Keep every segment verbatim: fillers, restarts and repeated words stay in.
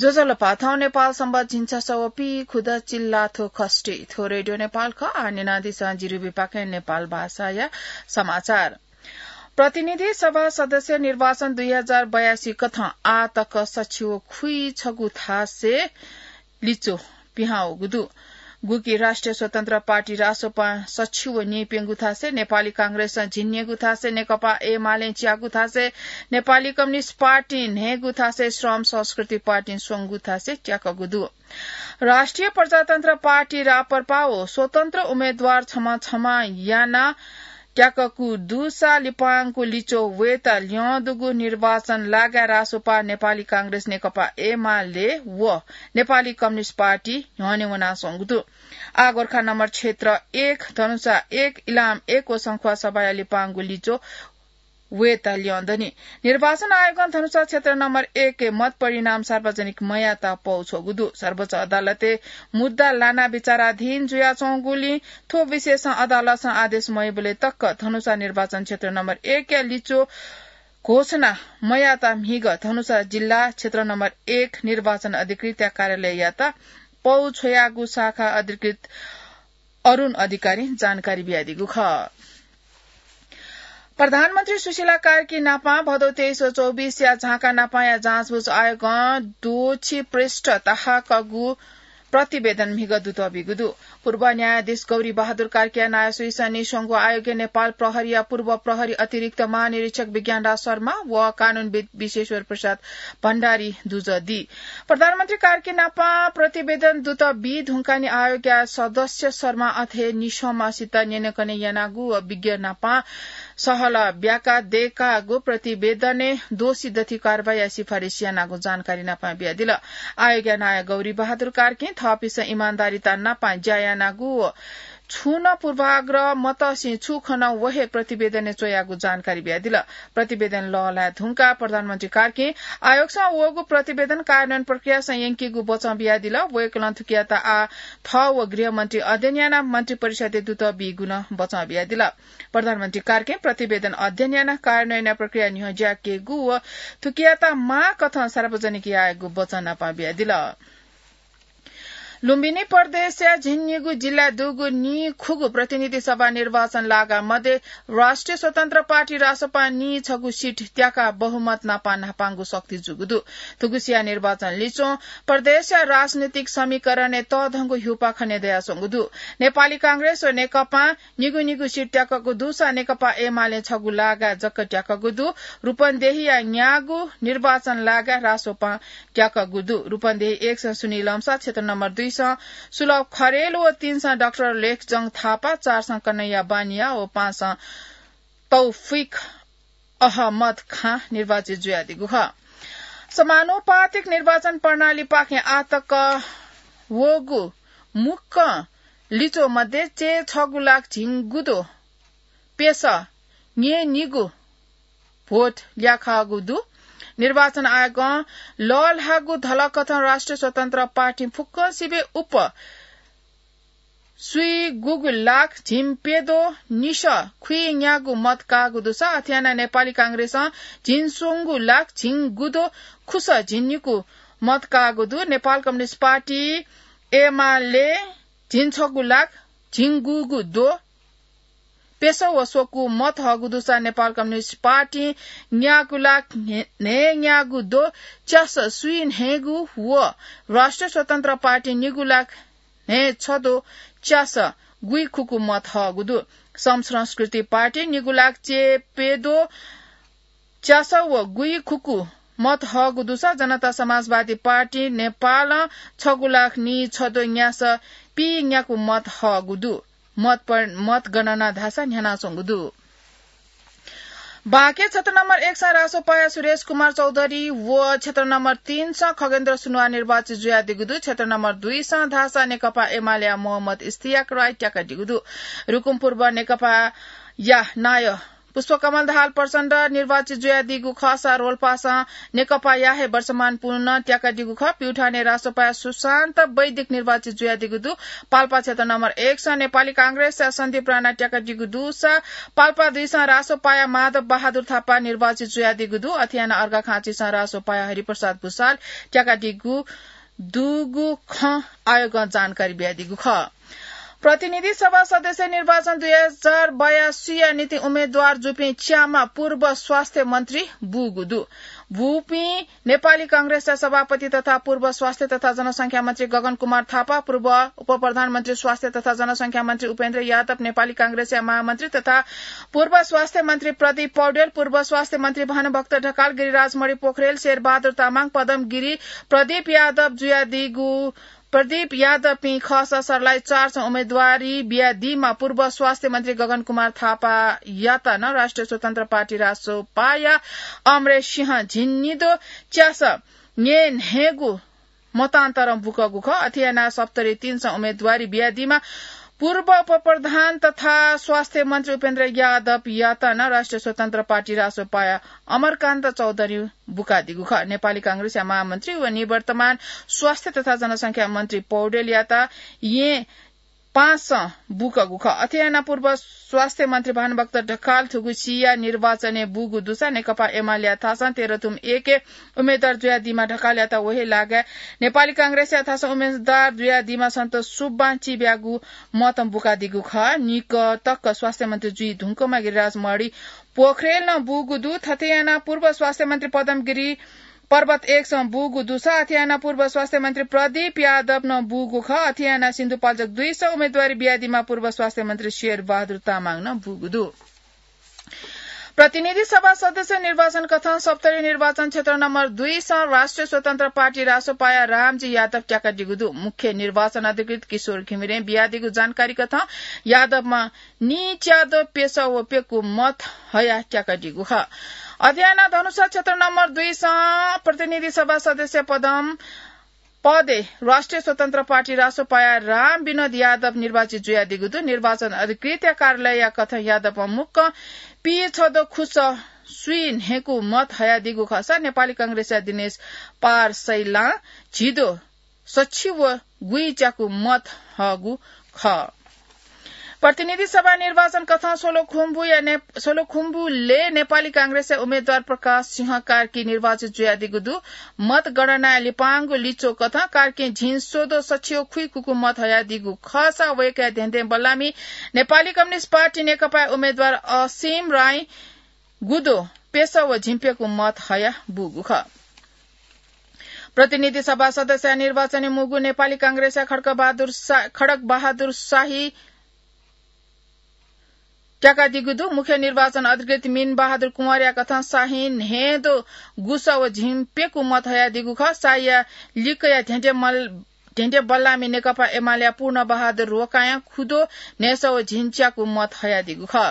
ज्वजलपा, थौं नेपाल संवत् झिंछसः व पीखुदँ चिल्लाथ्व खष्ठी। थ्व रेडियो नेपाल खः। आः न्यनादिसँ जिरिबी पाखें नेपाल भाषाया समाचार। प्रतिनिधि सभा सदस्य निर्वाचन दुई हजार बयासी कथं आः तक सछि व खुइछगू थासय् लिच्वः पिहां वःगु दु। गुकी राष्ट्रिय स्वतन्त्र पार्टी रासोपां सछि व नीप्यंगू थासय्, नेपाली कांग्रेसं झिंन्यंगू थासय्, नेकपा एमालें च्यागू थासय्, नेपाली कम्युनिस्ट पार्टीं न्हय्गू थासय्, श्रम संस्कृति पार्टीं स्वंगू थासय् त्याकःगु दु। राष्ट्रिय प्रजातन्त्र पार्टी राप्रपा व स्वतन्त्र उम्मेदवार छम्ह छम्ह यानाः त्याकःगु दुसा लिपांगु लिच्वः वयेत ल्यं दुगु निर्वाचन लागाय् रासोपा, नेपाली कांग्रेस, नेकपा एमाले व नेपाली कम्युनिस्ट पार्टी न्ह्यःने वनाच्वंगु दु। आः गोर्खा नम्बर क्षेत्र एक, धनुषा एक, इलाम एक व संखुवासभाया लिपांगु लिच्वः वयेत ल्यं दनि। निर्वाचन आयोगं धनुषा क्षेत्र नम्बर एकय् मत परिणाम सार्वजनिक मयात पौ छ्वःगु दु। सर्वोच्च अदालतय् मुद्दा लाना विचाराधीन जुयाच्वंगुलिं थ्व विषयसं अदालतं आदेश मयाबलय् तक धनुषा निर्वाचन क्षेत्र नम्बर एकया लिच्वः घोषणा मयात म्हिगः धनुषा जिल्ला क्षेत्र नम्बर एक निर्वाचन अधिकृतया कार्यालययात पौ छ्वयागु शाखा अधिकृत अरुण अधिकारीं जानकारी बियादीगु खः। प्रधानमन्त्री सुशीला कार्की नापं भदौ तेइस व चौबिसया झाँक्री नापंया जाँचबुझ आयोगं द्वःछि पृष्ठ तःहाकःगु प्रतिवेदन म्हिगः दुतः बीगु दु। पूर्व न्यायाधीश गौरी बहादुर कार्कीया नायः सुइसं नीस्वंगु आयोगय् नेपाल प्रहरीया पूर्व प्रहरी अतिरिक्त महानिरीक्षक विज्ञानराज शर्मा व कानूनविद् विश्वेश्वर प्रसाद भण्डारी दुजः दी। प्रधानमन्त्री कार्की नापं प्रतिवेदन दुतः बी धुंकाः नं आयोगया सदस्य शर्मा अथे निस्वंम्हसित न्यनेकने यानागु व विज्ञ नापं सहलह ब्याकाः दय्कागु प्रतिवेदनय् द्वःछि दथुइ कारवाहीया सिफारिस यानागु जानकारी नापं बियादिल। आयोगया नायः गौरी बहादुर कार्कीं थःपिन्सं इमानदारीता नापं ज्या यानागु व छुं नं पूर्वाग्रह मतःसिं छु खन व हे प्रतिवेदनय् च्वयागु जानकारी बियादिल। प्रतिवेदन लःल्हाये धुंकाः प्रधानमन्त्री कार्कीं आयोगसं वःगु प्रतिवेदन कार्यान्वयन प्रक्रियासं यंकीगु बचं बियादिल। वय्कलं थुकियात आः थः व गृहमन्त्री अध्ययन यानाः मन्त्रिपरिषदय् दुतः बीगु नं बचं बियादिल। प्रधानमन्त्री कार्कीं प्रतिवेदन अध्ययन यानाः कार्यान्वयनया प्रक्रिया न्ह्यज्याकेगु व थुकियात माःकथं सार्वजनिक यायेगु बचं नापं बियादिल। लुम्बिनी प्रदेशया झिंनिगू जिल्लाय् दुगु नीखुगू प्रतिनिधि सभा निर्वाचन लागा मध्ये राष्ट्रिय स्वतन्त्र पार्टी रासोपां नीछगू सिट त्याकाः बहुमत नापं न्हापांगु शक्ति जूगु दु। थुगुसिया निर्वाचन लिच्वं प्रदेशया राजनीतिक समीकरणय् तःधंगु ह्यूपाः खने दयाच्वंगु दु। नेपाली कांग्रेस व नेकपां निगू निगू सिट त्याकःगु दुसा नेकपा एमालें छगू लागाय् जक त्याकःगु दु। रूपन्देहीया न्यागू निर्वाचन लागाय् रासोपां त्याकःगु दु। रूपन्देही एकसं सुनिल लम्सा, क्षेत्र नम्बर दुईसं सुलभ खरेल व तीनसं डाक्टर लेखजंग थापा, चारसं कन्हैया बानिया व पाँचसं तौफिक अहमद खां निर्वाचित जुयादीगु खः। समानुपातिक निर्वाचन प्रणालीपाखें आःतक वःगु मुक्कं लिच्वः मध्ये चय्छगू लाख झिंगुद्वः प्यसः न्यय्निगू भोट ल्याखाःगु दु। निर्वाचन आयोगं लःल्हाःगु धलकथं राष्ट्रिय स्वतन्त्र पार्टीं फुक्कसिबें उप स्वीगूगू लाख झिंप्यद्वः निसः खुइन्यागू मत काःगु दुसा, अथे यानाः नेपाली कांग्रेसं झिंस्वंगू लाख झिंगुद्वः खुसः झिंनिकू मत काःगु दु। नेपाल कम्युनिस्ट पार्टी, एमाले झिंछगू लाख झिंगूगू द्वः प्यसः व स्वकू मत हःगु दुसा, नेपाल कम्युनिस्ट पार्टीं न्यागू लाख न्हय्न्यागू द्वः च्यासः स्वीन्हय्गू व राष्ट्रिय स्वतन्त्र पार्टीं निगू लाख न्हय्छद्वः च्यासः गुइखुकू मत हःगु दु। सम संस्कृति पार्टीं निगू लाख चय्प्यद्वः च्यासः व गुइखुकू मत हःगु दुसा, जनता समाजवादी पार्टी नेपालं छगू लाख नीछद्वः न्यासः पीन्याकू मत हःगु दु। मत पर-, मतगणना धाःसा न्ह्यानाच्वंगु दु। बाँके क्षेत्र नम्बर एकसं रासोपाया सुरेश कुमार चौधरी व क्षेत्र नम्बर तीनसं खगेन्द्र सुनुवार निर्वाचित जुयादीगु दु। क्षेत्र नम्बर दुईसं धाःसा नेकपा एमालेया मोहम्मद इस्तियाक राई त्याकादीगु दु। रुकुम पूर्व नेकपाया नायः पुष्पकमल दाहाल प्रचण्ड निर्वाचित जुयादीगु खःसा रोल्पासं नेकपाया हे वर्तमान पुन त्याकादीगु खः। प्युठानय् रासोपाया सुशान्त वैदिक निर्वाचित जुयादीगु दु। पाल्पा क्षेत्र नम्बर एक सं नेपाली कांग्रेसया सन्दीप राणा त्याकादीगु दुसा पाल्पा दुई सं रासोपाया माधव बहादुर थापा निर्वाचित जुयादीगु दु। अथे यानाः अर्घाखाँची सं रासोपाया हरिप्रसाद भुसाल त्याकादीगु दुगु खँ आयोगं जानकारी बियादीगु खः। प्रतिनिधि सभा सदस्य निर्वाचन दुई हजार बयासीया निंतिं उम्मेद्वार जूपिं च्याम्ह पूर्व स्वास्थ्य मन्त्री बूगु दु। बूपिं नेपाली कांग्रेसया सभापति तथा पूर्व स्वास्थ्य तथा जनसंख्या मन्त्री गगन कुमार थापा, पूर्व उपप्रधानमन्त्री स्वास्थ्य तथा जनसंख्या मन्त्री उपेन्द्र यादव, नेपाली कांग्रेसया महामन्त्री तथा पूर्व स्वास्थ्य मन्त्री प्रदीप पौडेल, पूर्व स्वास्थ्य मन्त्री भानुभक्त ढकाल, गिरिराज मणि पोखरेल, शेरबहादुर तामाङ, पदम गिरी, प्रदीप यादव जुयादीगु प्रदीप यादवपिं खःसा सर्लाही चार सं उम्मेद्वारी बियादीम्ह पूर्व स्वास्थ्य मन्त्री गगन कुमार थापायात नं राष्ट्रिय स्वतन्त्र पार्टी रासोपाया अमरेश सिंह झिंनिदँ च्यासं न्हय्न्हय्गू मतान्तरं बुकूगु खः। अथे यानाः सप्तरी तीन सं उम्मेद्वारी बियादीम्ह पूर्व उपप्रधान तथा स्वास्थ्य मन्त्री उपेन्द्र यादवयात नं राष्ट्रिय स्वतन्त्र पार्टी रासोपाया अमरकान्त चौधरी बुकादीगु खः। नेपाली कांग्रेसया महामन्त्री व निवर्तमान स्वास्थ्य तथा जनसंख्या मन्त्री पौडेलयात येँ पाँच सं बुकूगु खः। अथे यानाः पूर्व स्वास्थ्य मन्त्री भानुभक्त ढकाल थुगु सिया निर्वाचनय् बूगु दुसा नेकपा एमालेया थासं तेह्रथुम एकय् उम्मेद्वार जुयादीम्ह ढकालयात व हे लागाय् नेपाली कांग्रेसया थासं उम्मेद्वार जुयादीम्ह सन्तोष सुब्बां चिब्यागू मतं बुकादीगु खः। निकतक्क स्वास्थ्य मन्त्री जुइ धुंकूम्ह गिरिराज मणि पोखरेल नं बूगु दु। थथे यानाः पूर्व स्वास्थ्य मन्त्री पदम गिरी पर्वत एक सं बूगु दुसा अथे यानाः पूर्व स्वास्थ्य मन्त्री प्रदीप यादव नं बूगु खः। अथे यानाः सिन्धुपाल्चोक दुई सं उम्मेद्वारी बियादीम्ह पूर्व स्वास्थ्य मन्त्री शेरबहादुर तामाङ नं बूगु दु। प्रतिनिधि सभा सदस्य निर्वाचन कथं सप्तरी निर्वाचन क्षेत्र नम्बर दुई सं राष्ट्रिय स्वतन्त्र पार्टी रासोपाया रामजी यादव त्याकादीगु दु। मुख्य निर्वाचन अधिकृत किशोर घिमिरें बियादीगु जानकारी कथं यादवमा नीच्याद्वः प्यसः व प्यकू मत हयाः त्याकादीगु खः। अथे यानाः धनुषा क्षेत्र नम्बर दुई सं प्रतिनिधि सभा सदस्य पदं पदय् राष्ट्रिय स्वतन्त्र पार्टी रासोपाया राम विनोद यादव निर्वाचित जुयादीगु दु। निर्वाचन अधिकृतया कार्यालयया कथं यादवं मुक्कं पीछद्वः खुसः स्वीन्हय्कू मत हयादीगु खःसा नेपाली कांग्रेसया दिनेश पार सैलां झिद्वः सछि व गुइच्याकू मत हःगु खः। प्रतिनिधि सभा निर्वाचन कथं सोलुखुम्बुया ने-, सोलुखुम्बुलय् नेपाली कांग्रेसया उम्मेद्वार प्रकाश सिंह कार्की निर्वाचित जुयादीगु दु। मतगणनाय् लिपांगु लिच्वः कथं कार्कीं झिंस्वद्वः सछि व खुइकुकू मत हयादीगु खःसा वय्कःया धेंधें बल्लामि नेपाली कम्युनिस्ट पार्टी नेकपाया उम्मेद्वार असीम राईं गुद्वः प्यसः व झिंप्यकू मत हयाः बूगु खः। प्रतिनिधि सभा सदस्यया निर्वाचनय् मुगु नेपाली कांग्रेसया खड्गबहादुर शा-, खड्गबहादुर शाही त्याकादीगु दु। मुख्य निर्वाचन अधिकृत मिन बहादुर कुँवरया कथं शाहीं न्हय्द्वः गुसः व झिंप्यकू मत हयादीगु खः। शाहीया लिक्कया धेंधें मल-, धेंधें बल्लामि नेकपा एमालेया पूर्ण बहादुर रोकायां खुद्वः न्हय्सः व झिंच्याकू मत हयादीगु खः।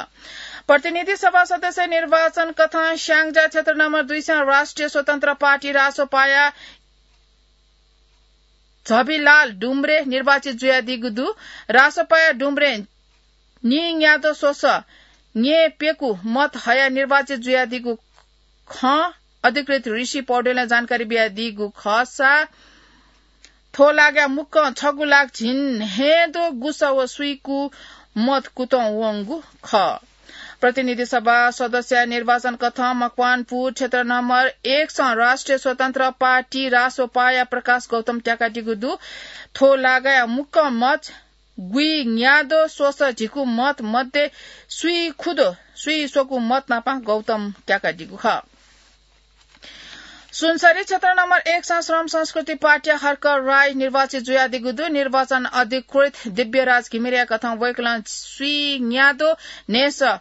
प्रतिनिधि सभा सदस्य निर्वाचन कथं स्याङ्जा क्षेत्र नम्बर दुई सं राष्ट्रिय स्वतन्त्र पार्टी रासोपाया झबिलाल डुम्रे निर्वाचित जुयादीगु दु। रासोपाया डुम्रे नीन्याद्वः स्वसः न्यय्प्यकू मत हयाः निर्वाचित जुयादीगु खँ अधिकृत ऋषि पौडेलं जानकारी बियादीगु खःसा थ्व लागाय् मुक्कं छगू लाख झिंन्हय्द्वः गुसः व स्वीकू मत कुतुं वंगु खः। प्रतिनिधि सभा सदस्य निर्वाचन कथं मकवानपुर क्षेत्र नम्बर एक सं राष्ट्रिय स्वतन्त्र पार्टी रासोपाया प्रकाश गौतम त्याकादीगु दु। थ्व लागाय् मुक्कं मत गुइन्याद्वः स्वसः झिकू मत मध्ये स्वीखुद्वः स्वीस्वकू मत नापं गौतम त्याकादीगु खः। सुनसरी क्षेत्र नम्बर एक सं श्रम संस्कृति पार्टीया हर्क राई निर्वाचित जुयादीगु दु। निर्वाचन अधिकृत दिव्यराज घिमिरेया कथं वय्कलं स्वीन्याद्वः न्हय्सः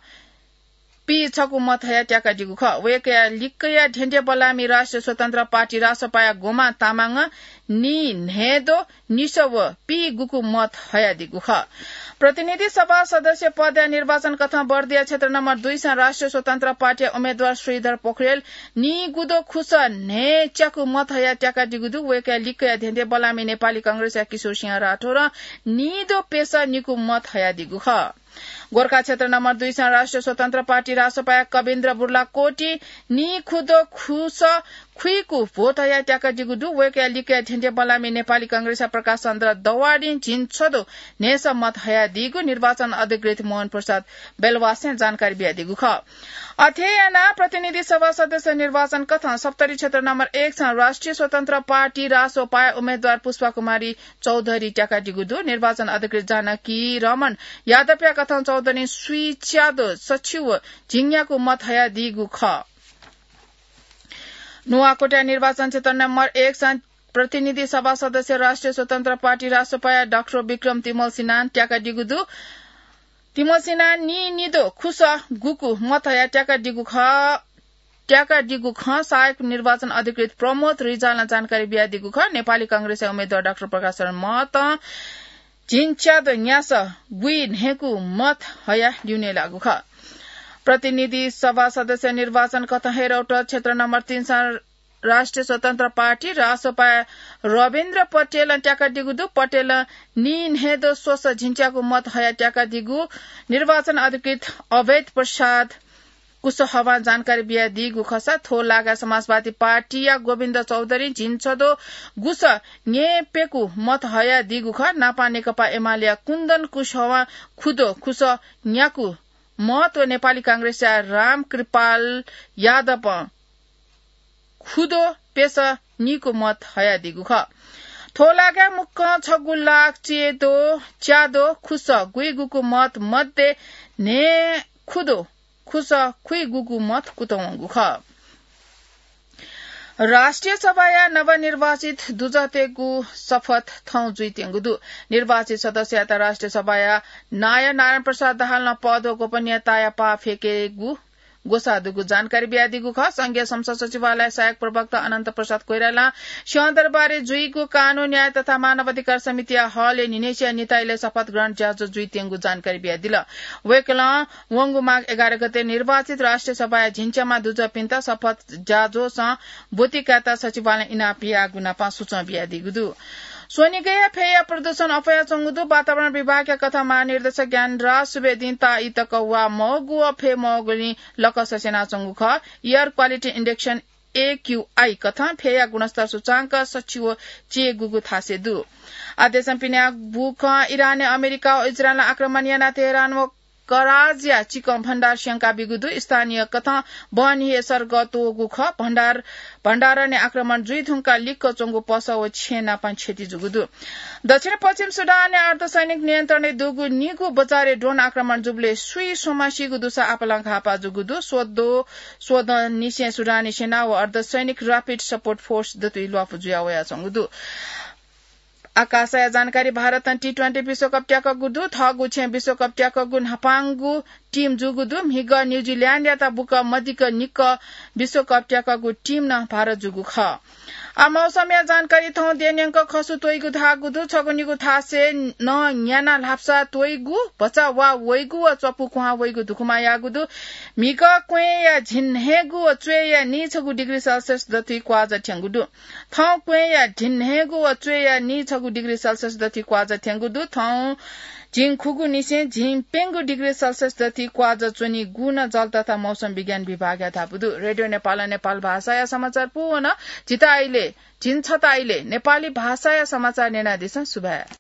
पीछकू मत हयाः त्याकादीगु खः। वय्कःया लिक्कया धेंधें बल्लामि राष्ट्रिय स्वतन्त्र पार्टी रासोपाया गोमा तामाङं नीन्हय्द्वः निसः व पीगुकू मत हयादीगु खः। प्रतिनिधि सभा सदस्य पदया निर्वाचन कथं बर्दिया क्षेत्र नम्बर दुई सं राष्ट्रिय स्वतन्त्र पार्टीया उम्मेद्वार श्रीधर पोखरेल नीगुद्वः खुसः न्हय्च्याकू मत हयाः त्याकादीगु दु। वय्कःया लिक्कया धेंधें बल्लामि नेपाली कांग्रेसया किशोर सिंह राठौरं नीद्वः प्यसः निकू मत हयादीगु खः। गोरखा क्षेत्र नम्बर दुई स राष्ट्रिय स्वतन्त्र पार्टी रासोपाया कविन्द्र बुर्लाकोटी नीखुदँ खुसः खुइगु भोट हयाः त्याकादीगु दु। वय्‌कःया लिक्कया धेंधें बल्लाःम्ह नेपाली कांग्रेसया प्रकाश चन्द्र दवाडीं झिंछदँ न्हय्‌सः मत हयादीगु निर्वाचन अधिकृत मोहन प्रसाद बेलवासं जानकारी बियादीगु खः। अथे यानाः प्रतिनिधि सभा सदस्य निर्वाचन कथं सप्तरी क्षेत्र नम्बर एक स राष्ट्रिय स्वतन्त्र पार्टी रासोपाया उम्मेदवार पुष्पा कुमारी चौधरी त्याकादीगु दु। निर्वाचन अधिकृत जानकी रमण यादवया कथं चौधरीं स्वीच्यादँ सछि व झिंन्यागू मत हयादीगु खः। नुवाकोटया निर्वाचन क्षेत्र नम्बर एक स प्रतिनिधि सभा सदस्य राष्ट्रिय स्वतन्त्र पार्टी रासोपाया डाक्टर विक्रम तिमल सिन्हां त्याकादीगु दु। तिमल सिन्हां नीनिदँ खुसः गुकु मत हयाः त्याकादीगु खः। त्याकादीगु खँ सहायक निर्वाचन अधिकृत प्रमोद रिजालं जानकारी बियादीगु खः। नेपाली कांग्रेसया उम्मेदवार डाक्टर प्रकाश शरण महतं झिंच्यादँ न्यासः गुइन्हय्‌गू मत हयाः ल्यूने लाःगु खः। प्रतिनिधि सभा सदस्य निर्वाचन कथं हेरौट क्षेत्र नम्बर तीन स राष्ट्रिय स्वतन्त्र पार्टी रासोपाया रविन्द्र पटेलं त्याकादीगु दु। पटेलं नीन्हय्‌दँ स्वसः झिंच्यागू मत हयाः त्याकादीगु निर्वाचन अधिकृत अवैध प्रसाद कुशवाहां जानकारी बियादीगु खःसा थ्व लागाय् समाजवादी पार्टीया गोविन्द चौधरीं झिंछदँ गुसः न्यय्‌प्यकू मत हयादीगु खः। नापं नेकपा एमालेया कुन्दन कुशवाहां खुदँ खुसः न्याकू मत व नेपाली कांग्रेसया रामकृपाल यादवं खुदँ प्यसः नीकू मत हयादीगु खः। थ्व लागाय् मुक्कं छगू लाख च्यादँ, च्यादँ खुसः गुइगुकू मत मध्ये न्हय्‌खुदँ खुसः खुइगुकू मत कुतः वंगु खः। राष्ट्रिय सभाया नवनिर्वाचित दुजःतय्‌गु शपथ थौं जुइत्यंगु दु। निर्वाचित सदस्ययात राष्ट्रिय सभाया नायः नारायण प्रसाद दाहालं पद व गोपनीयताया पाः फ्यकेगु ग्वसाः दुगु जानकारी बियादीगु खः। संघीय संसद सचिवालय सहायक प्रवक्ता अनन्त प्रसाद कोइरालां सिंहदरबारय् जुइगु कानून, न्याय तथा मानव अधिकार समितिया हलय् न्हिनय्‌सिया निताइलय् शपथ ग्रहण ज्याझ्वः जुइत्यंगु जानकारी बियादिल। वय्‌कलं वंगु माघ एघार गते निर्वाचित राष्ट्रिय सभाया झिंच्याम्ह दुजःपिन्त शपथ ज्याझ्वःसं ब्वति कायेत सचिवालयं इनाप याःगु नापं सुचं बियादीगु दु। स्वनिगःया फय्‌या प्रदूषण अप्वयाच्वंगु दु। वातावरण विभागया कथं महानिर्देशक ज्ञानराज सुवेदीं ताःई तक वा मवःगु व फय् मवःगुलिं लकस स्यनाच्वंगु खः। Air Quality Index, A Q I, कथं फय्‌या गुणस्तर सूचांक सछि व च्याय्‌गूगु थासय् दु। आ देशं पिने बूकं इरानय् अमेरिका व इजरायलं आक्रमण यानाः तेहरान व कराजया चिकं भण्डार स्यंकाबीगु दु। स्थानीय कथं बहनी हे सर्गः त्वःगु खः। भण्डार, भण्डारय् आक्रमण जुइधुंकाः लिक्क च्वंगु पसः व छेँ नापं क्षति जूगु दु। दक्षिण पश्चिम सुडानय् अर्धसैनिक नियन्त्रणय् दुगु निगू बजारय् ड्रोन आक्रमण जूबलय् सुइ स्वम्ह सीगु दुसा आपालं घाःपाः जूगु दु। स्वदँ, स्वदँनिसें सुडानी सेना व अर्धसैनिक Rapid Support Force दथुइ ल्वापु जुया वयाच्वंगु दु। आकाशया जानकारी। भारतं T twenty विश्वकप त्याकःगु दु। थःगु छेँ विश्वकप त्याकःगु न्हापांगु team जूगु दु। म्हिगः न्यूजिल्याण्डयात बुकं मदिक्क निक्क विश्वकप त्याकःगु team नं भारत जूगु खः। आ मौसमया जानकारी। थौं देय् न्यंक खसु त्वइगु धाःगु दु। छगू निगू थासय् नं न्याना ल्हापसा त्वइगु, भचा वा वइगु व च्वपु कुहां वइगु धुकुमा याःगु दु। म्हिगः क्वँय्‌या झिंन्हय्‌गू व च्वय्‌या नीछगू degree Celsius दथुइ क्वाःजः थ्यंगु दु। थौं क्वँय्‌या झिंन्हय्‌गू व च्वय्‌या नीछगू degree Celsius दथुइ क्वाःजः थ्यंगु दु। थौं झिंखुगूनिसें झिंप्यंगू degree Celsius दथुइ क्वाःजः च्वनीगु नं जल तथा मौसम विज्ञान विभागया धापू दु। रेडियो नेपालं नेपाल भाषाया समाचार पूवन। झीत आइले, झिंछता आइले नेपाली भाषाया समाचार न्यनादिसँ। सुभाय्।